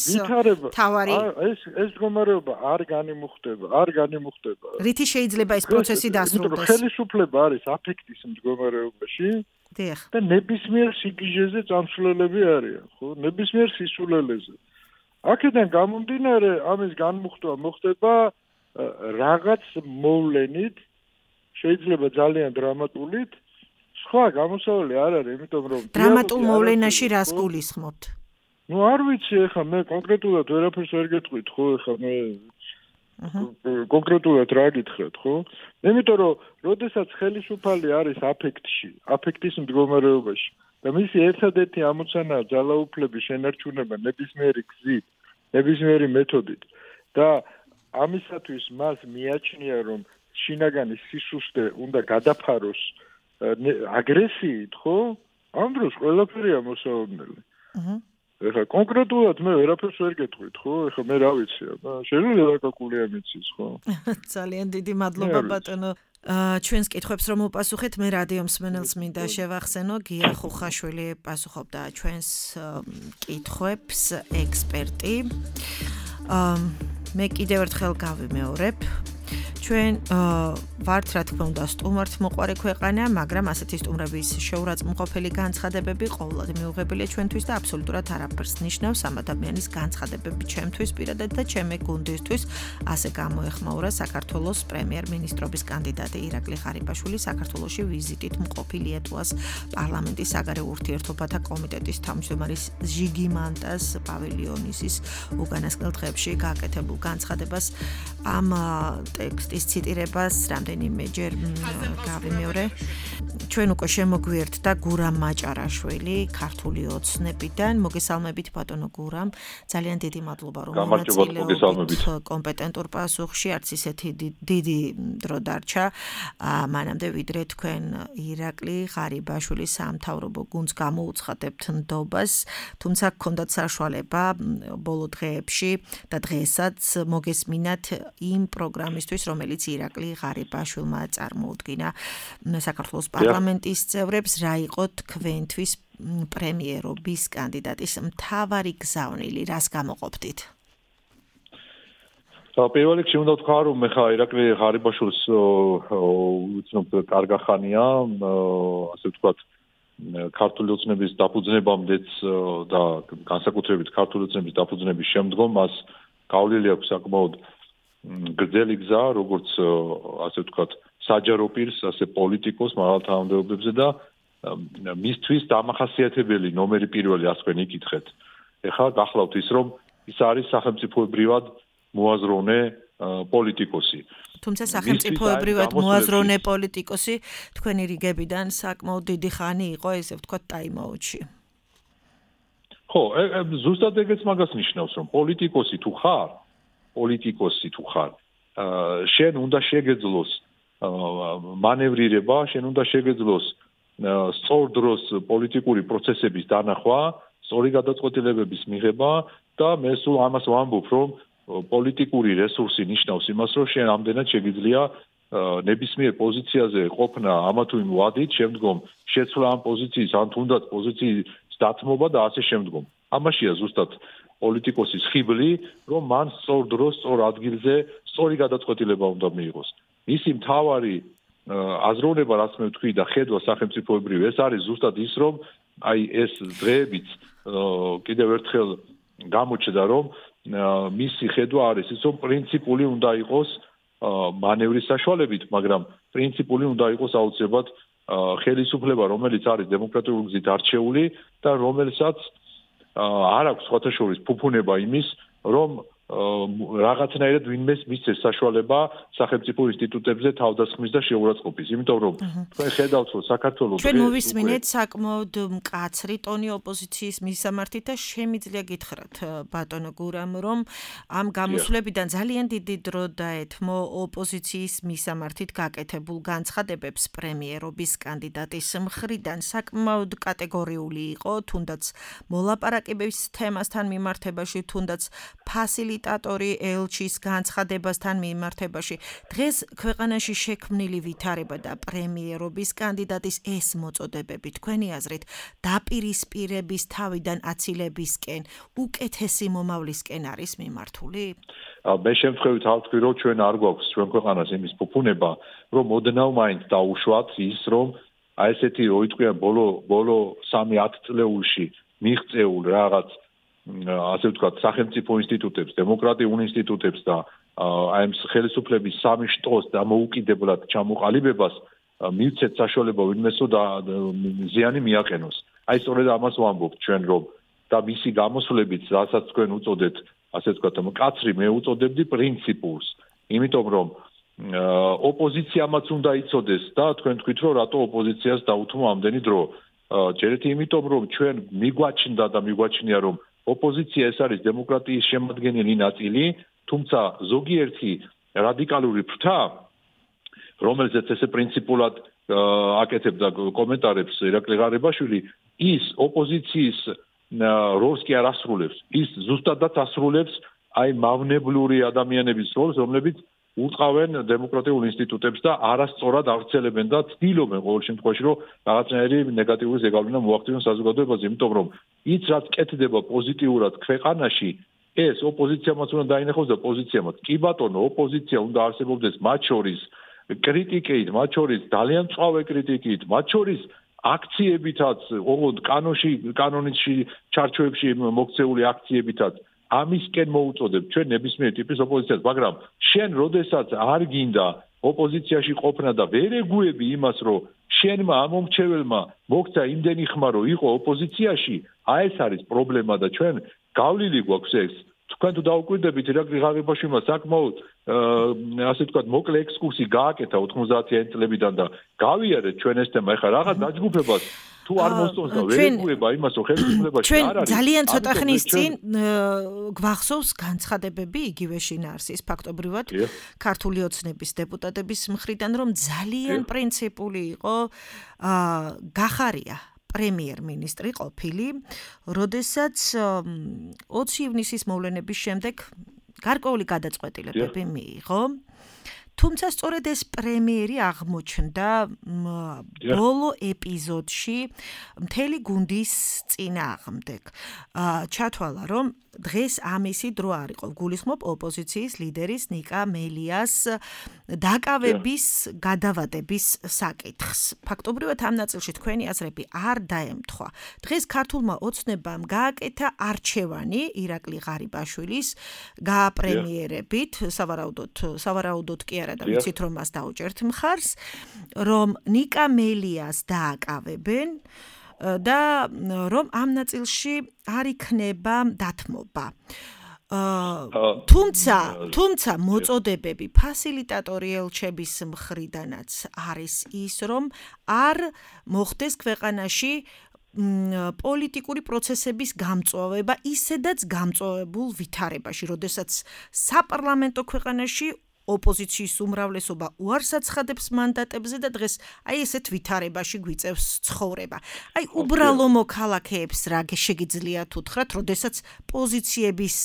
თავარი ეს მდგომარეობა არ განიმუხტება რითი შეიძლება ეს პროცესი დასრულდეს ხელისუფლება არის აფექტის მდგომარეობაში და ნებისმიერ სიგიჟეზე წამსვლელები არიან ხო ნებისმიერ სისულელეზე აქედან გამომდინარე ამის განმუხტვა მოხდება რაღაც მოვლენით შეიძლება ძალიან დრამატულით სხვა გამოსავალი არ არის, იმიტომ რომ დრამატულ მოვლენაში რას გულისხმობთ? ნუ არ ვიცი, ეხლა მე კონკრეტულად ვერაფერს ვერ გეტყვით, ხო, ეხლა მე კონკრეტულად რა გითხრათ, ხო? იმიტომ რომ როდესაც ხელისუფალი არის აფექტში, აფექტის მდგომარეობაში და მისი ერთადერთი ამოცანაა ძალაუფლების შენარჩუნება ნებისმიერი გზით, ნებისმიერი მეთოდით და ამისათვის მას მიაჩნია რომ შინაგანი სისუსტე უნდა გადაფაროს აგრესიით, ხო? ამ დროს ყველაფერია მოსაოდნელი. ეხლა კონკრეტულად მე ვერაფერს ვერ გეტყვით, ხო? ეხლა მე რა ვიცი, შეიძლება დაკაკულია მიცის, ხო? ძალიან დიდი მადლობა ბატონო. ჩვენს კითხვებს რომ უპასუხეთ, მე რადიო მსმენელს მინდა შევახსენო, გია ხუხაშვილი პასუხობდა ჩვენს კითხვებს, ექსპერტი. მე კიდევ ერთხელ გავიმეორებ. ჩვენ ვართ რა თქმა უნდა სტუმართ მოყვარე ქვეყანა, მაგრამ ასეთი სტუმრების შეურაცხმყოფელი განცხადებები ყოველად მიუღებელია ჩვენთვის და აბსოლუტურად არაფერს ნიშნავს ამ ადამიანის განცხადებები ჩემთვის პირადად და ჩემი გუნდისთვის. ასე გამოეხმაურა საქართველოს პრემიერ-მინისტრობის კანდიდატი ირაკლი ღარიბაშვილი საქართველოში ვიზიტით მყოფი ლიეტუვას პარლამენტის საგარეო ურთიერთობათა კომიტეტის თავმჯდომარის ჟიგი მანტას პავილიონისის უკანასკნელ დღეებში გაკეთებულ განცხადებას ამ ტექსტის ციტირებას რამდენიმეჯერ გავიმეორე. ჩვენ უკვე შემოგვიერთდა გურამ მაჭარაშვილი ქართული ოცნებიდან. მოგესალმებით ბატონო გურამ. ძალიან დიდი მადლობა რომ მონაწილეობთ კომპეტენტურ პასუხში. არც ისეთი დიდი დრო დარჩა მანამდე ვიდრე თქვენ ირაკლი ღარიბაშვილის სამთავრობო გუნდს გამოუცხადებთ ნდობას. თუმცა გქონდათ საშუალება ბოლო დღეებში და დღესაც მოგესმინათ იმ პროგრამისთვის, რომელიც ირაკლი ღარიბაშვილმა წარმოუდგინა საქართველოს პარლამენტის წევრებს, რა იყო თქვენთვის პრემიერობის კანდიდატის მთავარი გზავნილი, რას გამოყოფდით? პირველ რიგში უნდა ვთქვა, რომ მე ხა ირაკლი ღარიბაშვილს უცნობ კარგახანია, ასე ვთქვათ, ქართული ოცნების დაფუძნებამდეც და განსაკუთრებით ქართული ოცნების დაფუძნების შემდგომ მას გავლილი აქვს საკმაოდ გრძელი გზა, როგორც ასე ვთქვათ, საჯარო პირს, ასე პოლიტიკოს მაღალთანამდებობებზე და მისთვის დამახასიათებელი ნომერი პირველი ასე თქვენ იკითხეთ. ეხლა გახლავთ ის, რომ ის არის სახელმწიფოებრივად მოაზროვნე პოლიტიკოსი. თუმცა სახელმწიფოებრივად მოაზროვნე პოლიტიკოსი თქვენი რიგებიდან საკმაოდ დიდი ხანი იყო, ესე ვთქვათ, ტაიმაუტში. ხო, ზუსტად ეგეც მაგას ნიშნავს, რომ პოლიტიკოსი თუ ხარ, შენ უნდა შეგეძლოს მანევრირება, შენ უნდა შეგეძლოს სწორ დროს პოლიტიკური პროცესების დანახვა, სწორი გადაწყვეტილებების მიღება და მე სულ ამას ვამბობ, რომ პოლიტიკური რესურსი ნიშნავს იმას, რომ შენ ამდენად შეგიძლია ნებისმიერ პოზიციაზე ყოფნა ამა თუ იმ ვადით, შემდგომ შეცვლა ამ პოზიციის, ან თუნდაც პოზიციის დათმობა და ასე შემდგომ. ამაშია ზუსტად პოლიტიკოსის ხიბლი, რომ მან სწორ დროს, სწორ ადგილზე, სწორი გადაწყვეტილება უნდა მიიღოს. მისი მთავარი აზროვნება, რაც მე ვთქვი და ხედვა სახელმწიფოებრივ, ეს არის ზუსტად ის, რომ აი ეს დღეებიც კიდევ ერთხელ გამოჩნდა, რომ მისი ხედვა არის ის, რომ პრინციპული უნდა იყოს მანევრის საშუალებით, მაგრამ პრინციპული უნდა იყოს აუცილებლად ხელისუფლება, რომელიც არის დემოკრატიული გზით არჩეული და რომელსაც არ აქვს სხვათა შორის ფუფუნება იმის, რომ რაღაცნაირად ვინმეს მისცეს საშუალება სახელმწიფო ინსტიტუტებზე თავდასხმის და შეურაცხყოფის. იმიტომ რომ თქვენ ხედავთ, რომ საქართველოს ჩვენ მოვისმინეთ საკმაოდ მკაცრი ტონი ოპოზიციის მისამართით და შემიძლია გითხრათ ბატონო გურამ, რომ ამ გამოსვლებიდან ძალიან დიდი დრო დაეთმო ოპოზიციის მისამართით გაკეთებულ განცხადებებს პრემიერობის კანდიდატის მხრიდან. საკმაოდ კატეგორიული იყო, თუნდაც მოლაპარაკებების თემასთან მიმართებაში, თუნდაც ფასილიტატორი ელჩის განცხადებასთან მიმართებაში. დღეს ქვეყანაში შექმნილი ვითარება და პრემიერობის კანდიდატის ეს მოწოდებები თქვენი აზრით დაპირისპირების თავიდან აცილებისკენ უკეთესი მომავლისკენ არის მიმართული? მე შემთხვევით ავთქვი, რომ ჩვენ არ გვაქვს ჩვენ ქვეყანას იმის ფუფუნება, რომ ოდნავ მაინც დაუშვათ ის, რომ აი ესეთი როიტყვიან ბოლო 3-10 წლეულში მიღწეულ რაღაც ასე ვთქვათ, სახელმწიფო ინსტიტუტებს, დემოკრატიულ ინსტიტუტებს და აი ამ ხელისუფლების სამი შტოს დამოუკიდებლად ჩამოყალიბებას მივცეთ საშუალება ვინმესო და ზიანი მიაყენოს. აი სწორედ ამას ვამბობთ ჩვენ, რომ და მისი გამოსვლებით, რასაც თქვენ უწოდეთ, ასე ვთქვათ, მკაცრი მე უწოდებდი პრინციპულს. იმიტომ რომ ოპოზიციამაც უნდა იცოდეს და თქვენ თქვით, რომ რატო ოპოზიციას დაუთმო ამდენი დრო. ჯერეთი იმიტომ, რომ ჩვენ მიგვაჩნდა და მიგვაჩნია, რომ ოპოზიცია ეს არის დემოკრატიის შემადგენელი ნაწილი, თუმცა ზოგიერთი რადიკალური ფრთა, რომელზეც ესე პრინციპულად აკეთებდა კომენტარებს ირაკლი ღარიბაშვილი, ის ოპოზიციის როლს კი არ ასრულებს, ის ზუსტადაც ასრულებს აი მავნებლური ადამიანების როლს, რომლებიც უწყავენ დემოკრატიულ ინსტიტუტებს და არასწორად ავრცელებენ და ცდილობენ ყოველ შემთხვევაში, რომ რაღაცნაირი ნეგატიური ზეგავლენა მოახდინონ საზოგადოებაზე, იმიტომ რომ ის რაც კეთდება პოზიტიურად ქვეყანაში, ეს ოპოზიციამაც უნდა დაინახოს და პოზიციამაც. კი ბატონო, ოპოზიცია უნდა არსებობდეს მათ შორის კრიტიკით, მათ შორის ძალიან მწვავე კრიტიკით, მათ შორის აქციებითაც, ოღონდ კანონში ჩარჩოებში მოქცეული აქციებითაც ამისკენ მოუწოდებ ჩვენ ნებისმიერ ტიპის ოპოზიციას, მაგრამ შენ როდესაც არ გინდა ოპოზიციაში ყოფნა და ვერ ეგუები იმას, რომ შენმა ამომრჩეველმა მოქცა იმდენი ხმა, რომ იყო ოპოზიციაში, ეს არის პრობლემა და ჩვენ გავლილი გვაქვს ეს. თქვენ თუ დაუკვირდებით ირაკლი ღარიბაშვილმა საკმაოდ ასე ვთქვათ მოკლე ექსკურსი გააკეთა 90-იანი წლებიდან და გავიარეთ ჩვენ ეს თემა. ეხლა რაღაც დაჯგუფებას თუ არ მოსწონს და ვერ ეგუება იმას, რომ ხელისუფლებაში არ არის. ძალიან ცოტა ხნის წინ გვახსოვს განცხადებები იგივე შინაარსის ფაქტობრივად ქართული ოცნების დეპუტატების მხრიდან, რომ ძალიან პრინციპული იყო გახარია პრემიერ-მინისტრი ყოფილი, როდესაც 20 ივნისის მოვლენების შემდეგ გარკვეული გადაწყვეტილებები მიიღო. თუმცა სწორედ ეს პრემიერი აღმოჩნდა ბოლო ეპიზოდში მთელი გუნდის წინააღმდეგ. ჩათვალა, რომ დღეს ამისი დრო არ იყო. გულისხმობ ოპოზიციის ლიდერის ნიკა მელიას დაკავების გადავადების საკითხს. ფაქტობრივად ამ ნაწილში თქვენი აზრები არ დაემთხვა. დღეს ქართულმა ოცნებამ გააკეთა არჩევანი ირაკლი ღარიბაშვილის გააპრემიერებით, სავარაუდოდ კი არა და ვიცით რომ მას დაუჭერთ მხარს, რომ ნიკა მელიას დააკავებენ და რომ ამ ნაწილში არ იქნება დათმობა. თუმცა მოწოდებები ფასილიტატორი ელჩების მხრიდანაც არის ის, რომ არ მოხდეს ქვეყანაში პოლიტიკური პროცესების გამწვავება ისედაც გამწვავებულ ვითარებაში, როდესაც საპარლამენტო ქვეყანაში ოპოზიციის უმრავლესობა უარს აცხადებს მანდატებზე და დღეს აი ესეთ ვითარებაში გვიწევს ცხოვრება. აი უბრალო მოქალაქეებს რა შეგიძლიათ უთხრათ, როდესაც პოზიციების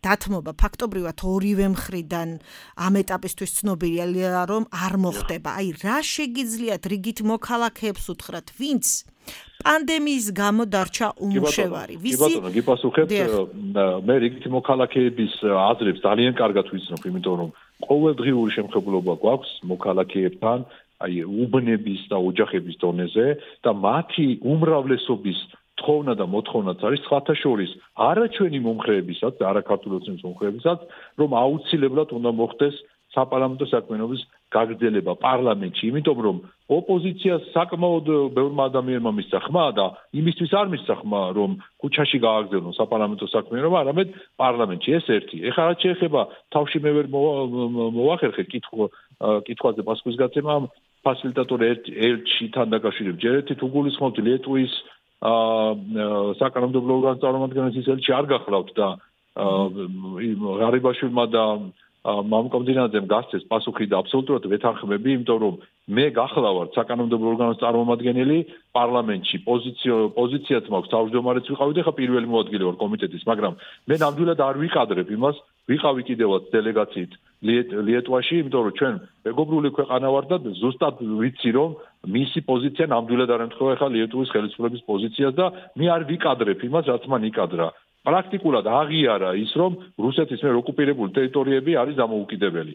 დათმობა ფაქტობრივად ორივე მხრიდან ამ ეტაპისთვის ცნობილია, რომ არ მოხდება. აი რა შეგიძლიათ რიგით მოქალაქეებს უთხრათ, ვინც პანდემიის გამო დარჩა უმუშევარი. კი ბატონო, გიპასუხებ, მე რიგით მოქალაქეების აზრებს ძალიან კარგად ვიცნობ, იმიტომ რომ ყოველდღიური შემხებლობა გვაქვს მოქალაქეებთან, აი უბნების და ოჯახების დონეზე და მათი უმრავლესობის თხოვნა და მოთხოვნაც არის სხვათა შორის არა ჩვენი მომხრეებისაც, არა ქართული ოცნების მომხრეებისაც, რომ აუცილებლად უნდა მოხდეს საპარლამენტო საქმიანობის გაგრძელება პარლამენტში, იმიტომ რომ ოპოზიციას საკმაოდ ბევრმა ადამიანმა მისცა ხმა და იმისთვის არ მისცა ხმა, რომ ქუჩაში გააგრძელონ საპარლამენტო საქმიანობა, არამედ პარლამენტში. ეს ერთი. ეხლა რაც შეეხება თავში მე ვერ მოვახერხე კითხვაზე პასუხის გაცემა ფასილიტატორ ელჩთან დაკავშირებით. ჯერ ერთი თუ გულისხმობთ ლიტვის საკანონმდებლო ორგანოს წარმომადგენლის ელჩი არ გახლავთ და ღარიბაშვილმა და მამკომდინაძემ გასცეს პასუხი და აბსოლუტურად ვეთანხმები, იმიტომ რომ მე გახლავართ საკანონმდებლო ორგანოს წარმომადგენელი პარლამენტში, პოზიციაც მაქვს, თავმჯდომარეც ვიყავი და ხა პირველი მოადგილე ვარ კომიტეტის, მაგრამ მე ნამდვილად არ ვიყადრებ იმას, ვიყავი კიდევაც დელეგაციით ლიტვაში, იმიტომ რომ ჩვენ მეგობრული ქვეყანა ვარ და ზუსტად ვიცი რომ მისი პოზიცია ნამდვილად არ ემთხვევა ხა ლიტვის ხელისუფლების პოზიციას და მე არ ვიყადრებ იმას, რაც მან იყადრა. პრაქტიკულად აღიარა ის, რომ რუსეთის მიერ ოკუპირებული ტერიტორიები არის დამოუკიდებელი.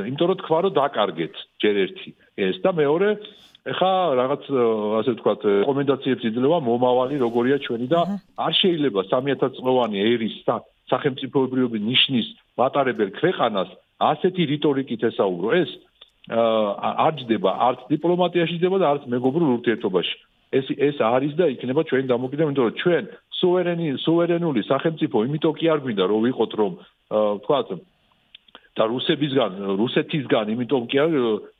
იმიტომ რომ თქვა, რომ დაკარგეთ ჯერ ერთი ეს და მეორე, ეხა რაღაც ასე ვთქვათ, რეკომენდაციებს იძლევა მომავალი როგორია ჩვენი და არ შეიძლება 3000 წლოვანი ერის სახელმწიფოებრიობის ნიშნის მატარებელ ქვეყანას ასეთი რიტორიკით ესაუბრო. ეს არ ჯდება არც დიპლომატიაში ჯდება და არც მეგობრულ ურთიერთობაში. ეს არის და იქნება ჩვენი დამოკიდება, იმიტომ რომ ჩვენ სუვერენული სახელმწიფო იმიტომ კი არ გვინდა რომ ვიყოთ რომ ვთქვათ და რუსეთისგან იმიტომ კი არ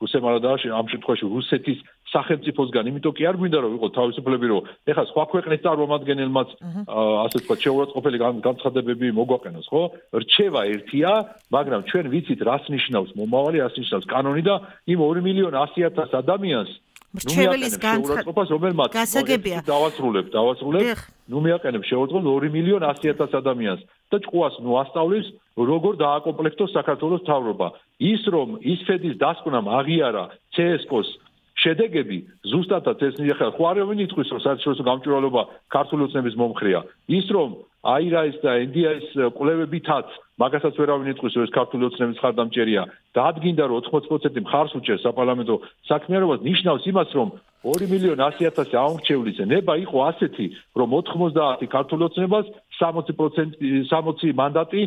რუსებმა და ამ შემთხვევაში რუსეთის სახელმწიფოსგან იმიტომ კი არ გვინდა რომ ვიყოთ თავისუფლები რომ ეხლა სხვა ქვეყნის წარმომადგენელმაც ასე ვთქვათ შეურაცხყოფელი განცხადებები მოგვაყენოს, ხო? რჩევა ერთია, მაგრამ ჩვენ ვიცით რას ნიშნავს მომავალი, რას ნიშნავს კანონი და იმ 2,100,000 ადამიანს მრჩეველის განცხადებას რომელმაც დავასრულებ მიაყენებს შეურაცხყოფას 2,100,000 ადამიანს და ჭკუას ასწავლის როგორ დააკომპლექტოს საქართველოს მთავრობა. ის რომ ისფედის დასკვნამ აღიარა CSKO-ს შედეგები ზუსტადაც ეს ახლა ხო არავინ იტყვის რომ საერთაშორისო გამჭვირვალობა ქართული ოცნების მომხრეა ის რომ აირაის და NDI-ის კვლევებითაც მაგასაც ვერავინ იტყვის რომ ეს ქართული ოცნების ხარდამჭერია დაადგინდა რომ 80% მხარს უჭერს საპარლამენტო საქმიანობას ნიშნავს იმას რომ 2,100,000 აუმრჩევლის ნება იყო ასეთი რომ 90 ქართული ოცნებას 60 მანდატი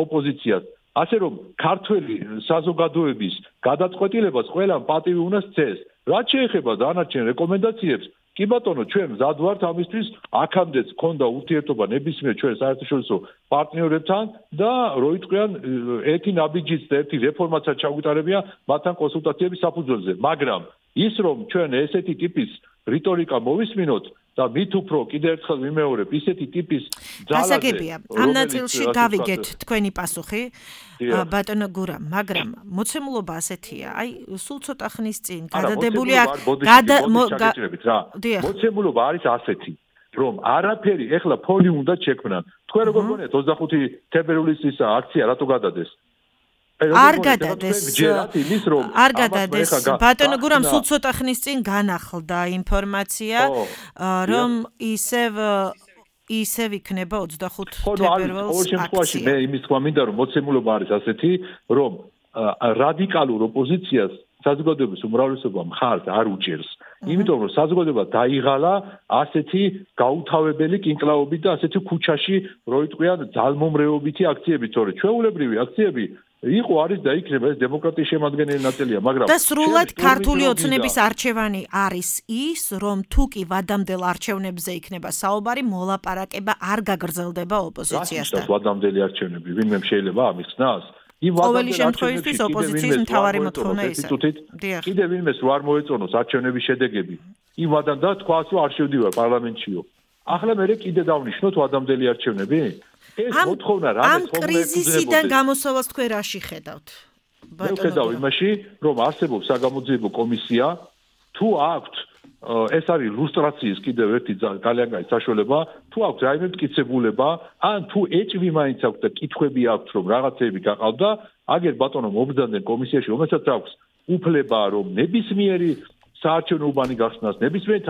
ოპოზიციას ასე რომ ქართველი საზოგადოების გადაწყვეტილებას ყველამ პატივი უნდა სცეს რაც შეეხება დანარჩენ რეკომენდაციებს კი ბატონო ჩვენ მზად ვართ ამისთვის აქამდეც ქონდა ურთიერთობა ნებისმიერ ჩვენ საერთაშორისო პარტნიორებთან და რო იტყვიან ერთი ნაბიჯიც და ერთი რეფორმაცაც ჩაგვიტარებია მათთან კონსულტაციების საფუძველზე მაგრამ ის რომ ჩვენ ესეთი ტიპის რიტორიკა მოვისმინოთ და მით უფრო კიდევ ერთხელ ვიმეორებ ისეთი ტიპის ძალაზე გასაგებია ამ ნაწილში გავიგეთ თქვენი პასუხი ბატონო გურა მაგრამ მოცემულობა ასეთია აი სულ ცოტა ხნის წინ გადადებული მოცემულობა არის ასეთი რომ არაფერი ეხლა ფონი უნდა შექმნან თქვენ როგორ გონიათ 25 თებერვლის ის აქცია რატო გადადეს არ გადადეს ბატონო გურამ სულ ცოტა ხნის წინ განახლდა ინფორმაცია რომ ისევ იქნება 25 თებერვალს აქცია მე იმის თქვა მინდა რომ მოცემულობა არის ასეთი რომ რადიკალურ ოპოზიციას საზოგადოების უმრავლესობა მხარს არ უჭერს იმიტომ რომ საზოგადოება დაიღალა ასეთი გაუთავებელი კინკლაობით და ასეთი ქუჩაში რო იტყვიან ძალმომრეობითი აქციებით თორე ჩვეულებრივი აქციები იყო არის და იქნება ეს დემოკრატიის შემადგენელი ნაწილია მაგრამ და სრულად ქართული ოცნების არჩევანი არის ის რომ თუ კი ვადამდელ არჩევნებზე იქნება საუბარი მოლაპარაკება არ გაგრძელდება ოპოზიციასთან ვადამდელი არჩევნები ვინმე შეიძლება ამის ხსნას ყოველი შემთხვევისთვის ოპოზიციის მთავარი მოთხოვნა ის არის კიდევ ვინმეს რო არ მოეწონოს არჩევნების შედეგები იმ ვადამ და თქვას რომ არ შევდივარ პარლამენტშიო ახლა მე კიდე დავნიშნოთ ვადამდელი არჩევნები ეს მოთხოვნა რა ამ კრიზისიდან გამოსავალს თქვენ რაში ხედავთ მე ვხედავ იმაში რომ არსებობს საგამოძიებო კომისია თუ აქვთ ეს არის ლუსტრაციის კიდევ ერთი ძალიან კაი საშუალება თუ აქვთ რაიმე მტკიცებულება ან თუ ეჭვი მაინც აქვთ და კითხვები აქვთ რომ რაღაცეები გაყავდა აგერ ბატონო მობრძანდნენ კომისიაში რომელსაც აქვს უფლება რომ ნებისმიერი საარჩევნო უბანი გახსნას ნებისმიერი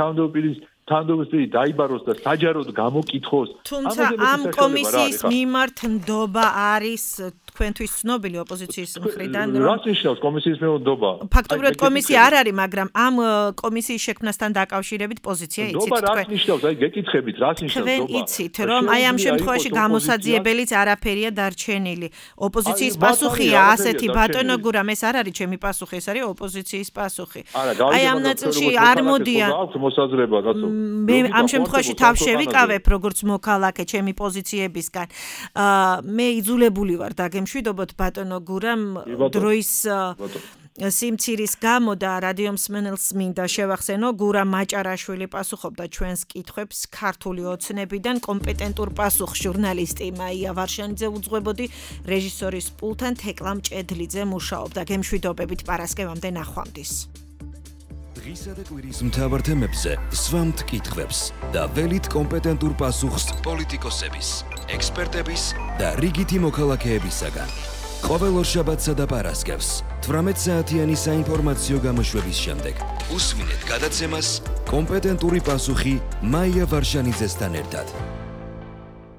თანამდებობისპირი დაიბაროს და საჯაროდ გამოკითხოს თუმცა ამ კომისიის მიმართ ნდობა არის თქვენთვის ცნობილი ოპოზიციის მხრიდან რას ნიშნავს კომისიის ნდობა ფაქტობრივად კომისია არ არის მაგრამ ამ კომისიის შექმნასთან დაკავშირებით პოზიცია იცით ნდობა რას ნიშნავს აი გეკითხებით რას ნიშნავს თქვენ იცით რომ აი ამ შემთხვევაში გამოსაძიებელიც არაფერია დარჩენილი ოპოზიციის პასუხია ასეთი ბატონო გურამ ეს არ არის ჩემი პასუხი ეს არის ოპოზიციის პასუხი აი ამ ნაწილში არ მოდიან მე ამ შემთხვევაში თავ შევიკავებ როგორც მოქალაქე ჩემი პოზიციებისგან მე იძულებული ვარ დაგემშვიდობოთ ბატონო გურამ დროის სიმცირის გამო და რადიო მსმენელს მინდა შევახსენო გურამ მაჭარაშვილი პასუხობდა ჩვენს კითხვებს ქართული ოცნებიდან კომპეტენტურ პასუხს ჟურნალისტი მაია ვარშანიძე უძღვებოდი რეჟისორის პულთან თეკლა მჭედლიძე მუშაობდა გემშვიდობებით პარასკევამდე ნახვამდის დღისა და კვირის მთავარ თემებზე სვამთ კითხვებს და ველით კომპეტენტურ პასუხს პოლიტიკოსების, ექსპერტების და რიგითი მოქალაქეებისაგან. ყოველ ორშაბათსა და პარასკევს 18 საათიანი საინფორმაციო გამოშვების შემდეგ უსმინეთ გადაცემას კომპეტენტური პასუხი მაია ვარშანიძესთან ერთად.